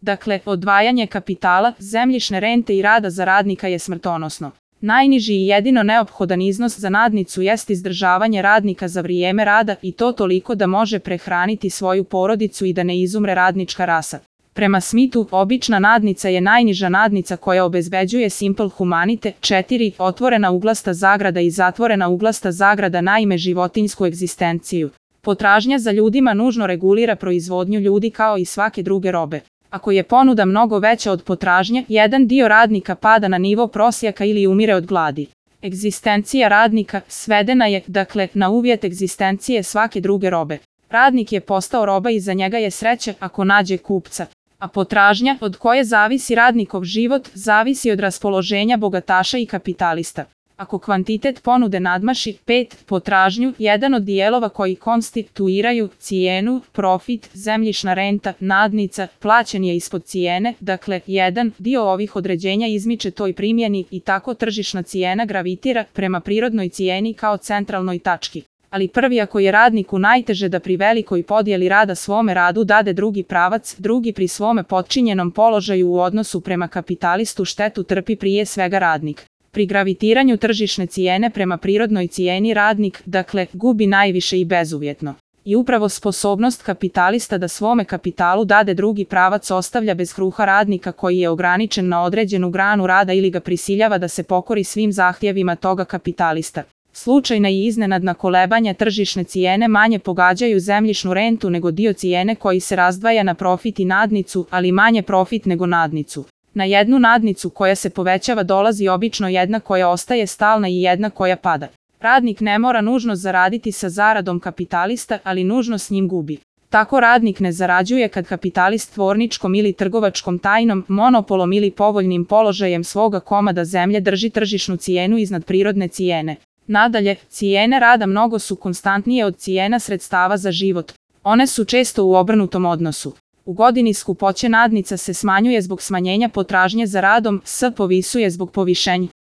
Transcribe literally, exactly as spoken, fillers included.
Dakle, odvajanje kapitala, zemljišne rente i rada za radnika je smrtonosno. Najniži i jedino neophodan iznos za nadnicu jest izdržavanje radnika za vrijeme rada i to toliko da može prehraniti svoju porodicu i da ne izumre radnička rasa. Prema Smithu, obična nadnica je najniža nadnica koja obezbeđuje simple humanite. četiri. Otvorena uglasta zagrada i zatvorena uglasta zagrada naime životinjsku egzistenciju. Potražnja za ljudima nužno regulira proizvodnju ljudi kao i svake druge robe. Ako je ponuda mnogo veća od potražnje, jedan dio radnika pada na nivo prosjaka ili umire od gladi. Egzistencija radnika svedena je, dakle, na uvjet egzistencije svake druge robe. Radnik je postao roba i za njega je sreća ako nađe kupca. A potražnja, od koje zavisi radnikov život, zavisi od raspoloženja bogataša i kapitalista. Ako kvantitet ponude nadmaši pet potražnju, jedan od dijelova koji konstituiraju cijenu, profit, zemljišna renta, nadnica, plaćen je ispod cijene, dakle, jedan dio ovih određenja izmiče toj primjeni i tako tržišna cijena gravitira prema prirodnoj cijeni kao centralnoj tački. Ali prvi ako je radniku najteže da pri velikoj podjeli rada svome radu dade drugi pravac, drugi pri svome potčinjenom položaju u odnosu prema kapitalistu štetu trpi prije svega radnik. Pri gravitiranju tržišne cijene prema prirodnoj cijeni radnik, dakle, gubi najviše i bezuvjetno. I upravo sposobnost kapitalista da svome kapitalu dade drugi pravac ostavlja bez kruha radnika koji je ograničen na određenu granu rada ili ga prisiljava da se pokori svim zahtjevima toga kapitalista. Slučajna i iznenadna kolebanja tržišne cijene manje pogađaju zemljišnu rentu nego dio cijene koji se razdvaja na profit i nadnicu, ali manje profit nego nadnicu. Na jednu nadnicu koja se povećava dolazi obično jedna koja ostaje stalna i jedna koja pada. Radnik ne mora nužno zaraditi sa zaradom kapitalista, ali nužno s njim gubi. Tako radnik ne zarađuje kad kapitalist tvorničkom ili trgovačkom tajnom, monopolom ili povoljnim položajem svoga komada zemlje drži tržišnu cijenu iznad prirodne cijene. Nadalje, cijene rada mnogo su konstantnije od cijena sredstava za život. One su često u obrnutom odnosu. U godini skupoće nadnica se smanjuje zbog smanjenja potražnje za radom, s povisuje zbog povišenja